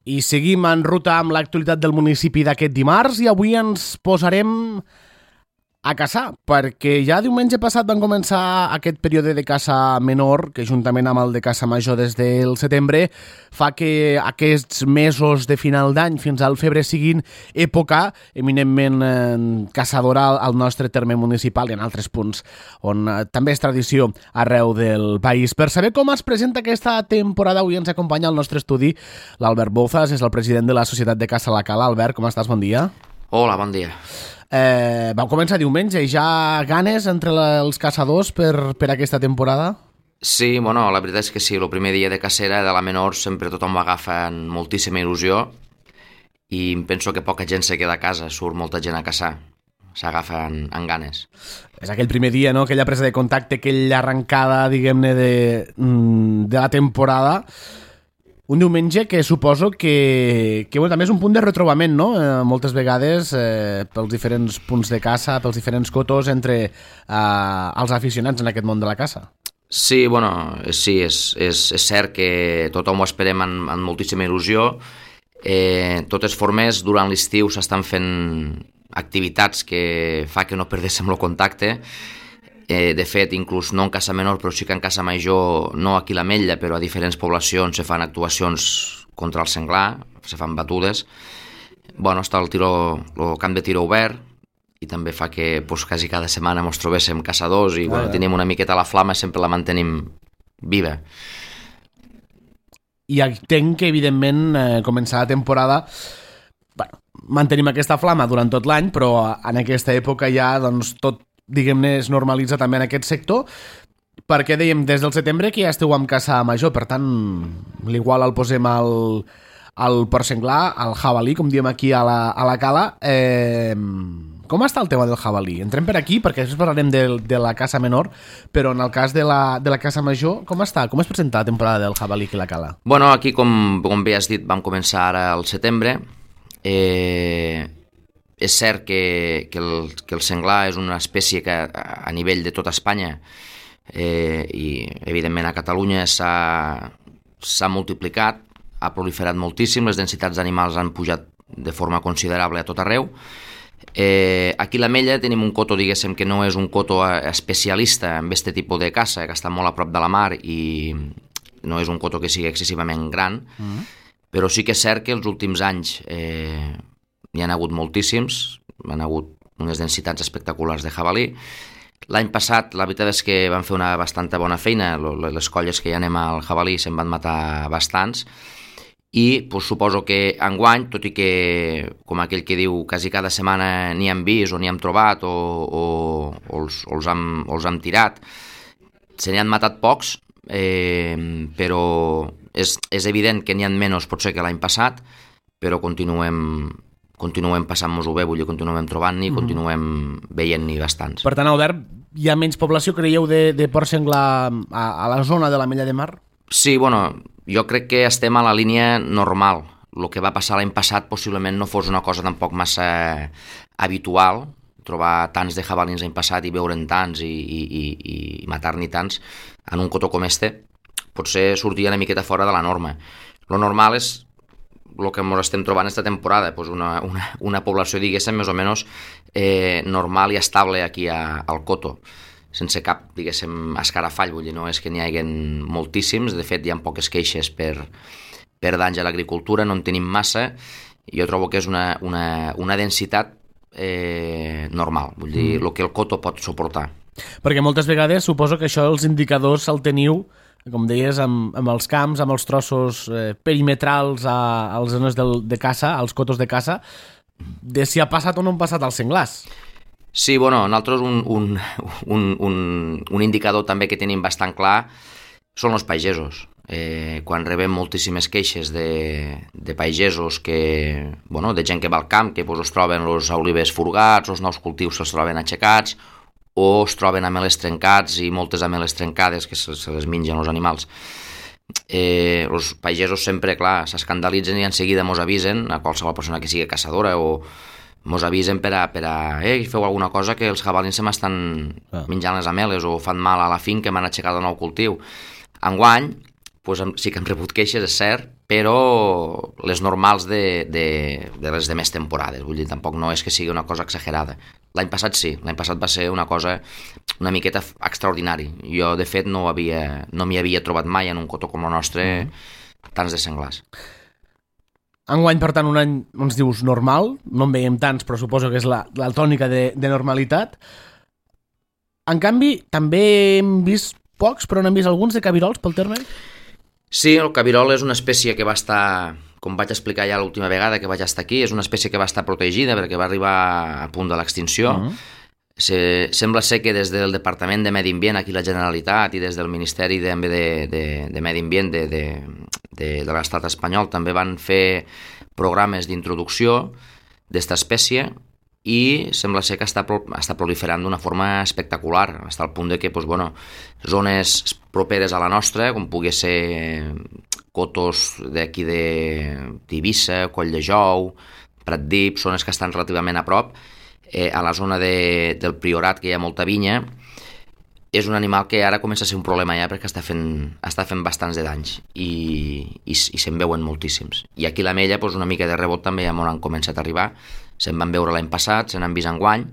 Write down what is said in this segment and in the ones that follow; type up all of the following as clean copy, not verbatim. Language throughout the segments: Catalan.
I seguim en ruta amb l'actualitat del municipi d'aquest dimarts i avui ens posarem a caçar, perquè ja diumenge passat van començar aquest període de caça menor, que juntament amb el de caça major des del setembre fa que aquests mesos de final d'any fins al febrer siguin època eminentment caçadora al nostre terme municipal i en altres punts on també és tradició arreu del país. Per saber com es presenta aquesta temporada, avui ens acompanya al nostre estudi l'Albert Bouzas, és el president de la Societat de Caça La Cala. Albert, com estàs? Bon dia. Hola, bon dia. Vau començar diumenge i ja ganes entre els caçadors per aquesta temporada? Sí, bueno, la veritat és que sí, el primer dia de cacera de la menor sempre tothom ho agafa amb moltíssima il·lusió i penso que poca gent se queda a casa, surt molta gent a caçar, s'agafa amb ganes. És aquell primer dia, no?, aquella presa de contacte, aquella arrencada, diguem-ne, de la temporada. Un diumenge que suposo que bueno, també és un punt de retrobament, no? Moltes vegades pels diferents punts de caça, pels diferents cotos entre els aficionats en aquest món de la caça. Sí, bueno, sí, és cert que tothom ho esperem amb moltíssima il·lusió. Totes formes, durant l'estiu s'estan fent activitats que fa que no perdéssim el contacte. De fet, inclús no en caça menor, però sí que en caça major, no aquí a l'Ametlla, però a diferents poblacions se fan actuacions contra el senglar, se fan batudes. Bueno, està el camp de tiro obert i també fa que quasi cada setmana ens trobéssim caçadors i tenim una miqueta la flama, sempre la mantenim viva. I entenc que, evidentment, començar la temporada, mantenim aquesta flama durant tot l'any, però en aquesta època ja doncs, tot, diguem-ne, es normalitza també en aquest sector, perquè dèiem des del setembre que ja esteu amb caça major, per tant, l'igual el posem al porc senglar, al jabalí, com diem aquí a la Cala. Com està el tema del jabalí? Entrem per aquí, perquè després parlarem de la caça menor, però en el cas de la caça major, com està? Com es presenta la temporada del jabalí aquí a la Cala? Bueno, aquí, com bé has dit, vam començar ara al setembre. És cert que el senglar és una espècie que a nivell de tota Espanya i evidentment a Catalunya s'ha multiplicat, ha proliferat moltíssim, les densitats d'animals han pujat de forma considerable a tot arreu. Aquí a l'Ametlla tenim un coto, diguéssim, que no és un coto especialista en aquest tipus de caça, que està molt a prop de la mar i no és un coto que sigui excessivament gran, però sí que és cert que els últims anys n'hi ha hagut moltíssims, han hagut unes densitats espectaculars de jabalí. L'any passat, la veritat és que van fer una bastanta bona feina, les colles que hi anem al jabalí se'n van matar bastants, i suposo que enguany, tot i que, com aquell que diu, quasi cada setmana n'hi hem vist o n'hi hem trobat o els hem tirat, se n'hi han matat pocs, però és evident que n'hi ha menys potser que l'any passat, però continuem passant-nos-ho bé, vull dir, continuem trobant-n'hi, continuem veient-n'hi bastants. Per tant, Albert, hi ha menys població, creieu, de porc senglar a la zona de l'Ametlla de Mar? Sí, bueno, jo crec que estem a la línia normal. El que va passar l'any passat possiblement no fos una cosa tampoc massa habitual, trobar tants de jabalins l'any passat i veure'n tants i matar-n'hi tants en un cotó com este, potser sortia una miqueta fora de la norma. Lo normal és el que ens estem trobant aquesta temporada, una població, diguéssim, més o menys normal i estable aquí al coto, sense cap, diguéssim, escarafall, vull dir, no és que n'hi hagi moltíssims, de fet hi ha poques queixes per danys a l'agricultura, no en tenim massa, i jo trobo que és una densitat normal, vull dir, el que el coto pot suportar. Perquè moltes vegades suposo que això els indicadors el teniu, com deies, amb els camps, amb els trossos perimetrals a les zones de caça, als cotos de caça, de si ha passat o no han passat els senglars. Sí, bueno, nosaltres un indicador també que tenim bastant clar són els pagesos. Quan rebem moltíssimes queixes de pagesos de gent que va al camp, que es troben els olives furgats, els nous cultius se'ls troben aixecats, o es troben ameles trencats i moltes ameles trencades que se les mengen els animals. Els pagesos sempre, clar, s'escandalitzen i en seguida mos avisen a qualsevol persona que sigui caçadora o mos avisen per a feu alguna cosa que els jabalins se m'estan menjant les ameles o fan mal a la finca que m'han aixecat un nou cultiu. Enguany, sí que hem rebut queixes, és cert, però les normals de les demés temporades. Vull dir, tampoc no és que sigui una cosa exagerada. L'any passat sí, l'any passat va ser una cosa una miqueta extraordinari. Jo, de fet, no m'hi havia trobat mai en un cotó com el nostre tants de senglars. Enguany, per tant, un any, ens dius, normal. No en veiem tants, però suposo que és la tònica de normalitat. En canvi, també hem vist pocs, però n'hem vist alguns de cabirols pel terme? Sí, el cabirol és una espècie que va estar, com vaig explicar ja l'última vegada que vaig estar aquí, és una espècie que va estar protegida perquè va arribar a punt de l'extinció. Sembla ser que des del Departament de Medi Ambient, aquí la Generalitat, i des del Ministeri de Medi Ambient de l'Estat espanyol també van fer programes d'introducció d'esta espècie i sembla ser que està proliferant d'una forma espectacular, fins al punt de que zones properes a la nostra, com pugui ser cotos d'aquí d'Eivissa, Coll de Jou, Pratdip, zones que estan relativament a prop, a la zona del Priorat, que hi ha molta vinya, és un animal que ara comença a ser un problema ja perquè està fent bastants de danys i se'n veuen moltíssims. I aquí a l'Ametlla una mica de rebot també ja m'ho han començat a arribar. Se'n van veure l'any passat, se n'han vist enguany,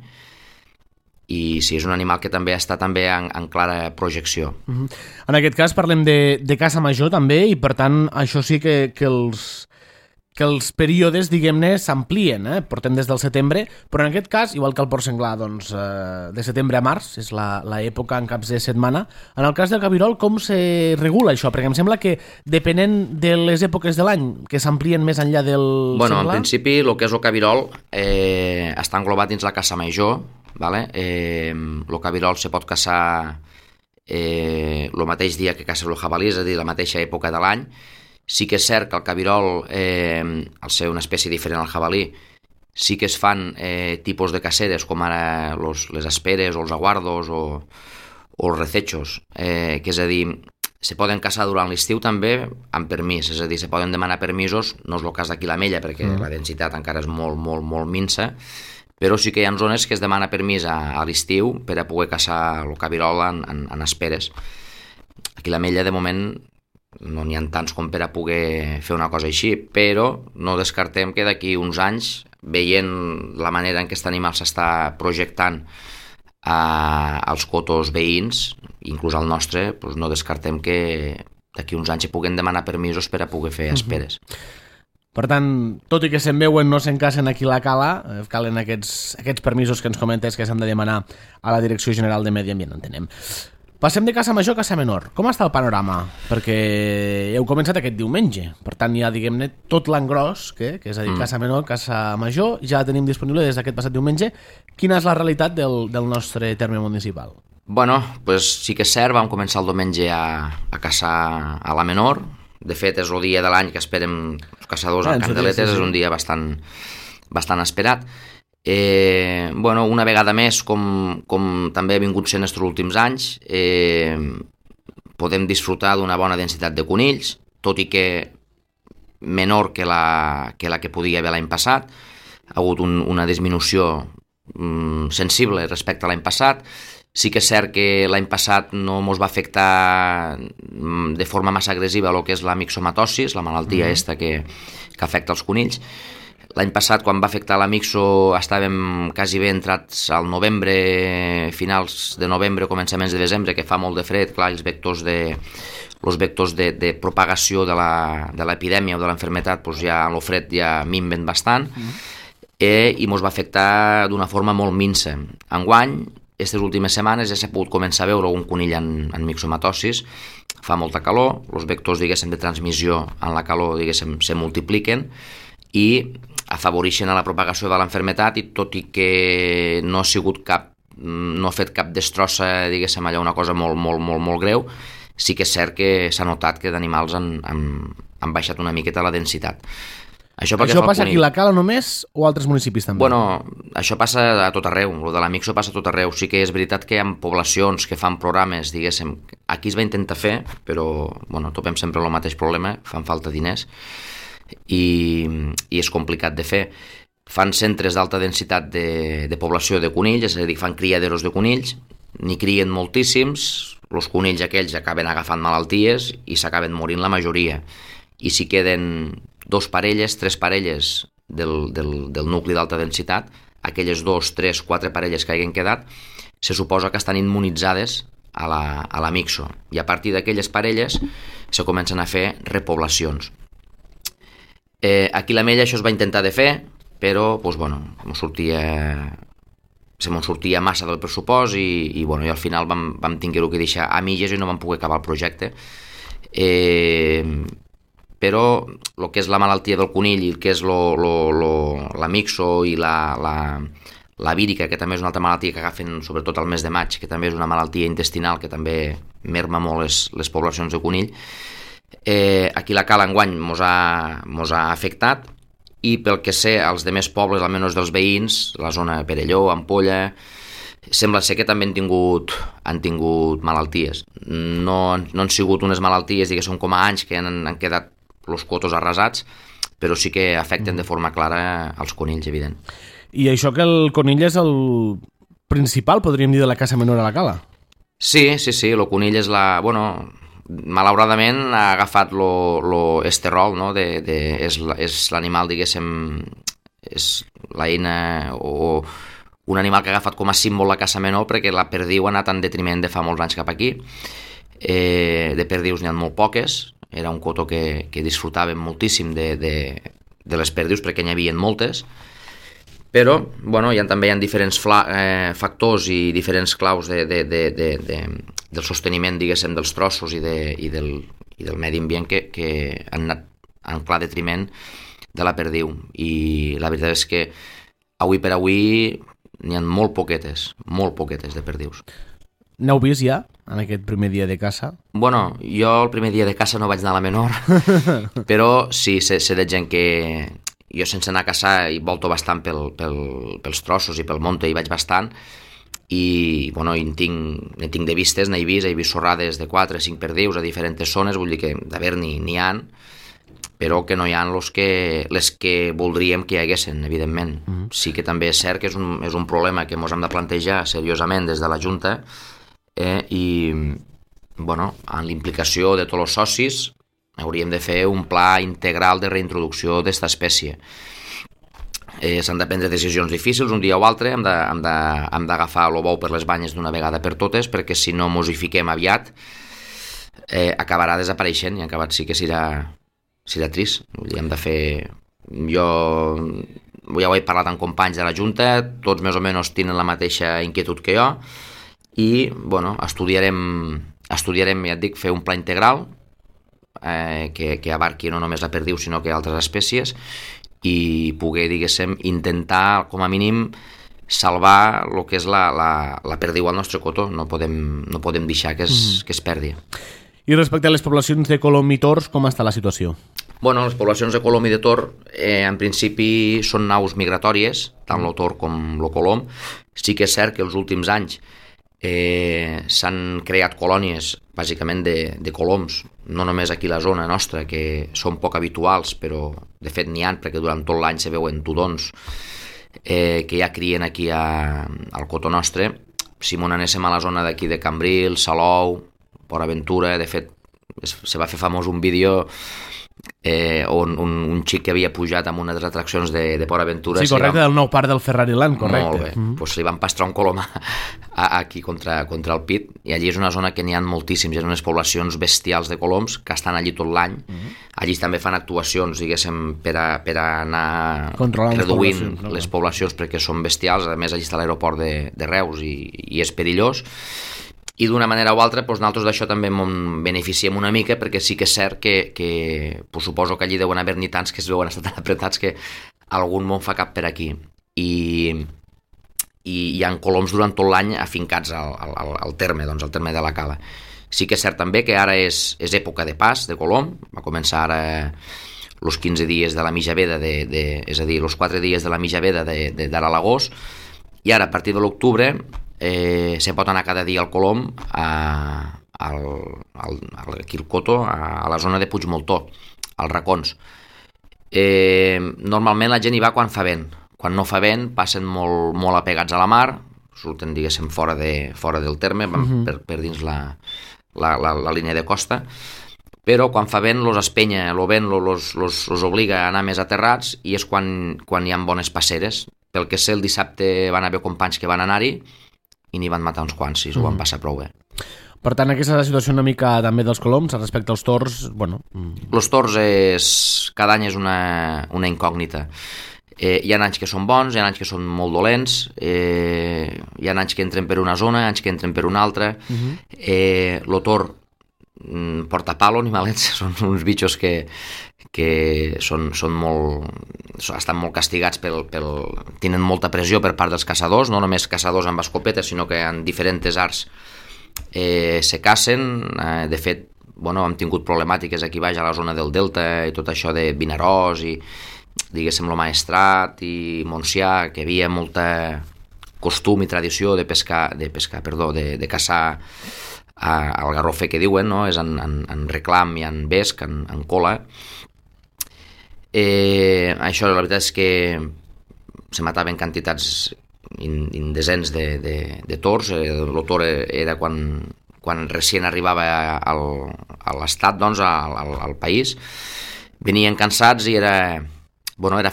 i sí, és un animal que també està en clara projecció. En aquest cas parlem de caça major també, i per tant això sí que els períodes, diguem-ne, s'amplien, portem des del setembre, però en aquest cas, igual que el porc senglar, doncs, de setembre a març, és l'època en caps de setmana. En el cas del cabirol, com se regula això? Perquè em sembla que, depenent de les èpoques de l'any, que s'amplien més enllà del senglar... En principi, el que és el cabirol està englobat dins la caça major, ¿vale? El cabirol se pot caçar el mateix dia que caça el jabalí, és a dir, la mateixa època de l'any. Sí que és cert que el cabirol, al ser una espècie diferent al jabalí, sí que es fan tipus de caceres, com ara les asperes o els aguardos o els recechos, que és a dir, se poden caçar durant l'estiu també amb permís, és a dir, se poden demanar permisos, no és el cas d'aquí a l'Ametlla perquè la densitat encara és molt, molt, molt minsa, però sí que hi ha zones que es demana permís a l'estiu per a poder caçar el cabirol en asperes. Aquí a l'Ametlla, de moment, no n'hi ha tants com per a poder fer una cosa així, però no descartem que d'aquí uns anys, veient la manera en què aquest animal s'està projectant als cotos veïns, inclús al nostre, doncs no descartem que d'aquí uns anys hi puguem demanar permisos per a poder fer esperes. Per tant, tot i que se'n veuen, no se'n cacen aquí a la cala, calen aquests permisos que ens comentes que s'han de demanar a la Direcció General de Medi Ambient, entenem. Passem de caça major a caça menor. Com està el panorama? Perquè heu començat aquest diumenge. Per tant, ja, diguem-ne, tot l'engròs, que és a dir, caça menor, caça major, ja la tenim disponible des d'aquest passat diumenge. Quina és la realitat del nostre terme municipal? Sí que és cert, vam començar el diumenge a caçar a la menor. De fet, és el dia de l'any que esperem els caçadors en candeletes, és un dia bastant esperat. Una vegada més, com també ha vingut sent els últims anys, podem disfrutar d'una bona densitat de conills, tot i que menor que la que podia haver l'any passat. Ha hagut una disminució sensible respecte a l'any passat. Sí que és cert que l'any passat no ens va afectar de forma massa agressiva el que és la mixomatosis, la malaltia que afecta els conills. L'any passat, quan va afectar la mixo, estàvem quasi bé entrats al novembre, finals de novembre, començaments de desembre, que fa molt de fred. Clar, els vectors de propagació de l'epidèmia o de l'enfermetat, doncs ja en el fred ja minven bastant, i ens va afectar d'una forma molt minsa. Enguany, aquestes últimes setmanes ja s'ha pogut començar a veure un conill en mixomatosis, fa molta calor, els vectors, diguéssim, de transmissió en la calor, diguéssim, se multipliquen i afavoreixen a la propagació de l'enfermetat, i tot i que no ha fet cap destrossa, diguéssim, allà una cosa molt, molt, molt, molt greu, sí que és cert que s'ha notat que d'animals han baixat una miqueta la densitat. Això passa aquí a la Cala només o a altres municipis també? Això passa a tot arreu, el de la mixo passa a tot arreu. Sí que és veritat que hi ha poblacions que fan programes, diguéssim, aquí es va intentar fer, però topem sempre el mateix problema, fan falta diners, i és complicat de fer. Fan centres d'alta densitat de població de conills, és a dir, fan criaderos de conills, n'hi crien moltíssims, els conills aquells acaben agafant malalties i s'acaben morint la majoria. I si queden 2 parelles, 3 parelles del nucli d'alta densitat, aquelles 2, 3, 4 parelles que hagin quedat, se suposa que estan immunitzades a la mixo, i a partir d'aquelles parelles se comencen a fer repoblacions. Aquí a l'Ametlla això es va intentar de fer, però se m'ho sortia massa del pressupost i al final vam tinguer-ho que deixar a mitges i no vam poder acabar el projecte. Però el que és la malaltia del conill i el que és la mixo i la vírica, que també és una altra malaltia que agafen sobretot al mes de maig, que també és una malaltia intestinal que també merma molt les poblacions de conill, aquí la cala enguany mos ha afectat, i pel que sé, als demés pobles, almenys dels veïns, la zona de Perelló, Ampolla, sembla ser que també han tingut malalties. No han sigut unes malalties, diguéssim, com a anys que han quedat els cotos arrasats, però sí que afecten de forma clara els conills, evident. I això que el conill és el principal, podríem dir, de la caça menor a la cala? Sí, el conill és malauradament ha agafat l'esterol, no? És l'animal, diguéssim, és l'eina o un animal que ha agafat com a símbol la caça menor, perquè la perdiu ha anat en detriment de fa molts anys cap aquí. De perdius n'hi ha molt poques, era un cotó que disfrutàvem moltíssim de les perdius perquè n'hi havia moltes, però també hi ha diferents factors i diferents claus del sosteniment, diguéssim, dels trossos i del medi ambient que han anat en clar detriment de la perdiu. I la veritat és que avui per avui n'hi ha molt poquetes de perdius. N'heu vist ja, en aquest primer dia de caça? Jo el primer dia de caça no vaig anar a la menor, però sí, sé de gent que... Jo sense anar a caçar hi volto bastant pels trossos i pel monte, hi vaig bastant, i en tinc de vistes, n'he vist sorrades de 4 o 5 perdius a diferents zones, vull dir que d'haver-n'hi n'hi ha, però que no hi ha les que voldríem que hi haguessin, evidentment. Sí que també és cert que és un problema que ens hem de plantejar seriosament des de la Junta, i amb l'implicació de tots els socis hauríem de fer un pla integral de reintroducció d'esta espècie. S'han de prendre decisions difícils un dia o altre, hem d'agafar el bou per les banyes d'una vegada per totes, perquè si no mos hi fiquem aviat acabarà desapareixent, i acabat sí que serà trist. Hem de fer... Jo ja ho he parlat amb companys de la Junta, tots més o menys tenen la mateixa inquietud que jo, i estudiarem, ja et dic, fer un pla integral que abarqui no només la perdiu sinó que altres espècies, i poder, diguéssim, intentar com a mínim salvar el que és la perdiu al nostre cotó. No podem deixar que es perdi. I respecte a les poblacions de colom i tors, com està la situació? Les poblacions de colom i de tor en principi són naus migratòries, tant el tor com el colom. Sí que és cert que els últims anys s'han creat colònies bàsicament de coloms, no només aquí a la zona nostra, que són poc habituals, però de fet n'hi ha, perquè durant tot l'any se veuen tudons que ja crien aquí al cotó nostre. Si m'ho anéssim a la zona d'aquí de Cambril, Salou, Port Aventura, de fet se va fer famós un vídeo on un xic que havia pujat amb una de les atraccions de Port Aventura. Sí, correcte, del nou parc del Ferrari Land, correcte. Molt bé, doncs li van pastrar un colom aquí contra el pit, i allí és una zona que n'hi ha moltíssims, hi ha unes poblacions bestials de coloms que estan allí tot l'any. Allí també fan actuacions, diguéssim, per anar reduint les poblacions perquè són bestials. A més, allí està l'aeroport de Reus i és perillós. I d'una manera o altra, nosaltres d'això també en beneficiem una mica, perquè sí que és cert que suposo que allí deuen haver-n'hi tants que es veuen estar tan apretats que algun món fa cap per aquí. I hi ha coloms durant tot l'any afincats al terme, doncs al terme de la cala. Sí que és cert també que ara és època de pas de colom, va començar ara els 15 dies de la mitjaveda, és a dir, els 4 dies de la mitjaveda d'ara a l'agost, i ara a partir de l'octubre se pot anar cada dia al colom aquí al cotó, a la zona de Puigmoltó, als racons. Normalment la gent hi va quan fa vent. Quan no fa vent passen molt apegats a la mar, surten, diguéssim, fora del terme, van per dins la línia de costa, però quan fa vent los espenya, el vent los obliga a anar més aterrats i és quan hi ha bones passeres. Pel que sé, el dissabte van haver companys que van anar-hi i n'hi van matar uns quants, i s'ho van passar prou bé. Per tant, aquesta és la situació una mica també dels coloms respecte als tors, bueno... Els tors cada any és una incògnita. Hi ha anys que són bons, hi ha anys que són molt dolents, hi ha anys que entren per una zona, anys que entren per una altra. El tor porta palo, animalets, són uns bitxos que són molt... estan molt castigats, tenen molta pressió per part dels caçadors, no només caçadors amb escopetes, sinó que en diferents arts se cacen. De fet, hem tingut problemàtiques aquí baix a la zona del Delta i tot això de Vinaròs i diguéssim el Maestrat i Montsià, que hi havia molta costum i tradició de caçar al garrofer, que diuen, no? És en reclam i en vesc, en cola. Això la veritat és que se mataven quantitats indecents de tors. El tor era quan recient arribava a l'estat, doncs, al país. Venien cansats i era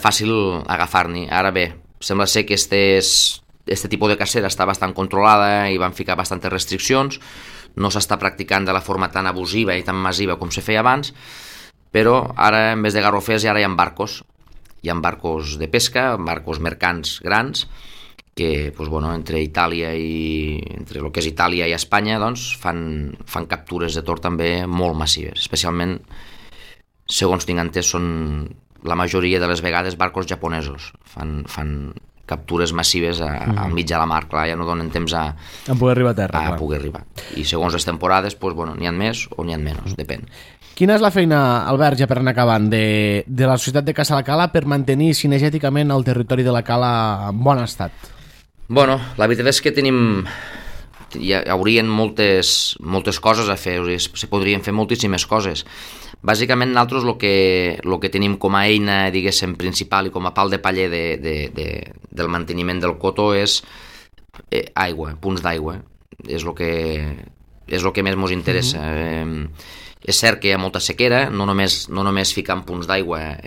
fàcil agafar-n'hi. Ara bé, sembla ser que este tipus de cacera està bastant controlada i van ficar bastantes restriccions. No s'està practicant de la forma tan abusiva i tan massiva com se feia abans, però ara, en vez de garrofers, ara hi ha barcos. Hi ha barcos de pesca, barcos mercants grans, que entre el que és Itàlia i Espanya, doncs, fan captures de tor també molt massives. Especialment, segons tinc entès, són la majoria de les vegades barcos japonesos. Fan captures massives al mig de la mar, clar, ja no donen temps a poder arribar a terra. Poder arribar. I segons les temporades, n'hi ha més o n'hi ha menys, depèn. Quina és la feina, Albert, ja per anar acabant, de la Societat de Caça la Cala per mantenir cinegèticament el territori de la Cala en bon estat? La veritat és que hi haurien moltes coses a fer, se podrien fer moltíssimes coses. Bàsicament, nosaltres el que tenim com a eina, diguéssim, principal i com a pal de paller del manteniment del cotó és aigua, punts d'aigua. És el que més ens interessa. És cert que hi ha molta sequera, no només ficant punts d'aigua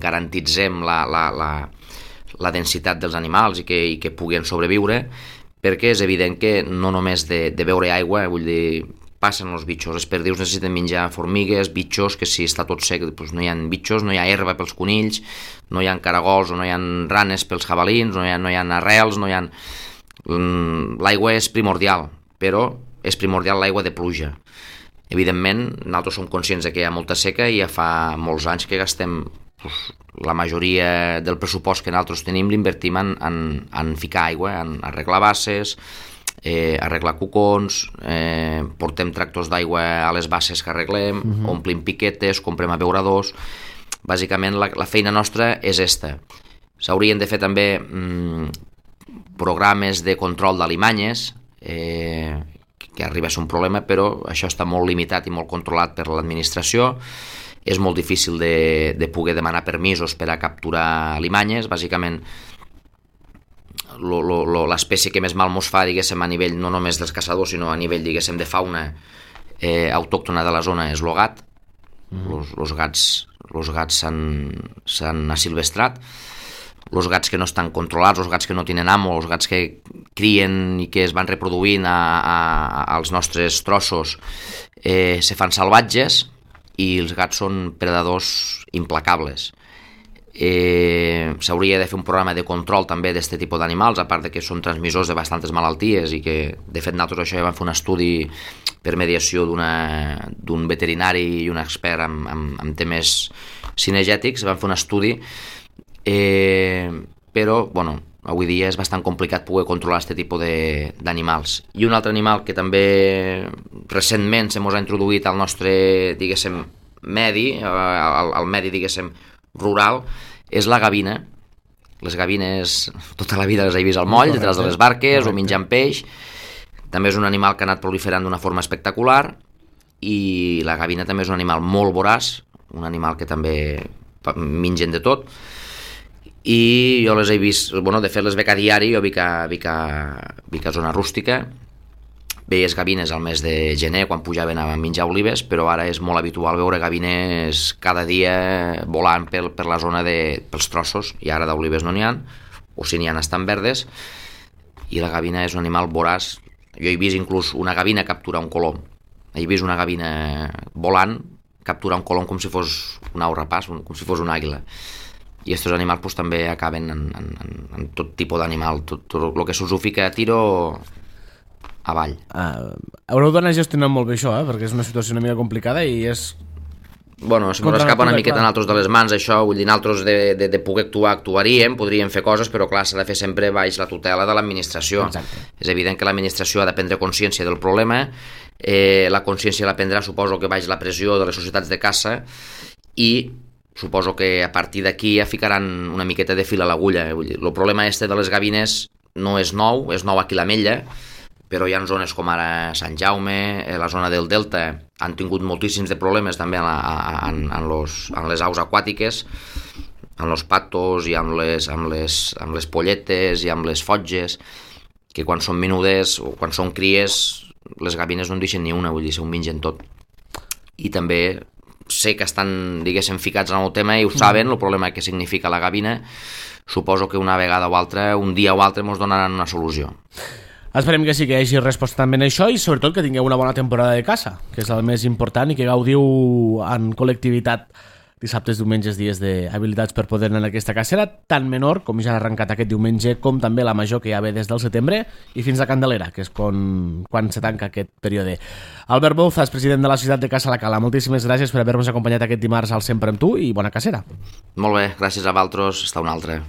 garantitzem la densitat dels animals i que puguen sobreviure, perquè és evident que no només de beure aigua, vull dir, passen els bitxos. Els perdius necessiten menjar formigues, bitxos, que si està tot sec doncs no hi ha bitxos, no hi ha herba pels conills, no hi ha caragols o no hi ha ranes pels jabalins, no hi ha arrels, no hi ha... L'aigua és primordial, però és primordial l'aigua de pluja. Evidentment, nosaltres som conscients que hi ha molta seca i ja fa molts anys que gastem la majoria del pressupost que nosaltres tenim l'invertim en ficar aigua, en arreglar basses, arreglar cucons, portem tractors d'aigua a les basses que arreglem, omplim piquetes, comprem abeuradors. Bàsicament la feina nostra és esta. S'haurien de fer també programes de control d'alimanyes, que arriba a ser un problema, però això està molt limitat i molt controlat per l'administració. És molt difícil de poder demanar permisos per a capturar alimanyes. Bàsicament, l'espècie que més mal mos fa, diguéssim, a nivell no només dels caçadors, sinó a nivell, diguéssim, de fauna autòctona de la zona és el gat. Els gats s'han asilvestrat. Els gats que no estan controlats, els gats que no tenen amo, els gats que crien i que es van reproduint als nostres trossos se fan salvatges i els gats són predadors implacables. S'hauria de fer un programa de control també d'aquest tipus d'animals, a part de que són transmissors de bastantes malalties i que, de fet, nosaltres això ja vam fer un estudi per mediació d'un veterinari i un expert amb temes cinegètics, vam fer un estudi, però, avui dia és bastant complicat poder controlar aquest tipus d'animals. I un altre animal que també recentment se mos ha introduït al nostre, diguéssim, medi, al medi, diguéssim, rural, és la gavina. Les gavines, tota la vida les he vist al moll, detrás de les barques, o menjant peix. També és un animal que ha anat proliferant d'una forma espectacular, i la gavina també és un animal molt voraç, un animal que també mengen de tot. i jo les he vist, de fet les veig a diari, jo vic a zona rústica, veies gavines al mes de gener quan pujaven a menjar olives, però ara és molt habitual veure gavines cada dia volant per la zona pels trossos, i ara d'olives no n'hi ha, o si n'hi ha estan verdes, i la gavina és un animal voraç. Jo he vist inclús una gavina capturar un colom, he vist una gavina volant capturar un colom com si fos un au rapaç, com si fos una àguila. I aquests animals pues, també acaben en tot tipus d'animal, tot el que se'ls ho fica a tiro avall. Haureu d'anar gestionant molt bé això, perquè és una situació una mica complicada i és... Bueno, si ens escapa una miqueta a nosaltres de les mans això, vull dir, nosaltres de poder actuaríem, podríem fer coses, però clar, s'ha de fer sempre baix la tutela de l'administració. Exacte. És evident que l'administració ha de prendre consciència del problema, la consciència la prendrà, suposo que baix la pressió de les societats de caça, i suposo que a partir d'aquí ja ficaran una miqueta de fil a l'agulla. El problema este de les gavines no és nou, és nou aquí a l'Ametlla, però hi ha zones com ara Sant Jaume, la zona del Delta, han tingut moltíssims de problemes també en les aus aquàtiques, amb els patos i amb les polletes i amb les fotges, que quan són menudes o quan són cries, les gavines no en deixen ni una, vull dir, s'ho mengen tot. I també sé que estan, diguéssim, ficats en el tema i ho saben, el problema que significa la gavina. Suposo que una vegada o altra, un dia o altre, ens donaran una solució. Esperem que sí que hi hagi resposta també en això i sobretot que tingueu una bona temporada de caça, que és el més important, i que gaudiu en col·lectivitat dissabtes, diumenges, dies d'habilitats per poder anar en aquesta cacera, tan menor com ja ha arrencat aquest diumenge, com també la major que ja ve des del setembre i fins a Candelera, que és quan se tanca aquest període. Albert Bouzas, president de la Societat de Caça La Cala, moltíssimes gràcies per haver-nos acompanyat aquest dimarts al Sempre amb tu i bona cacera. Molt bé, gràcies a vosaltres, hasta una altra.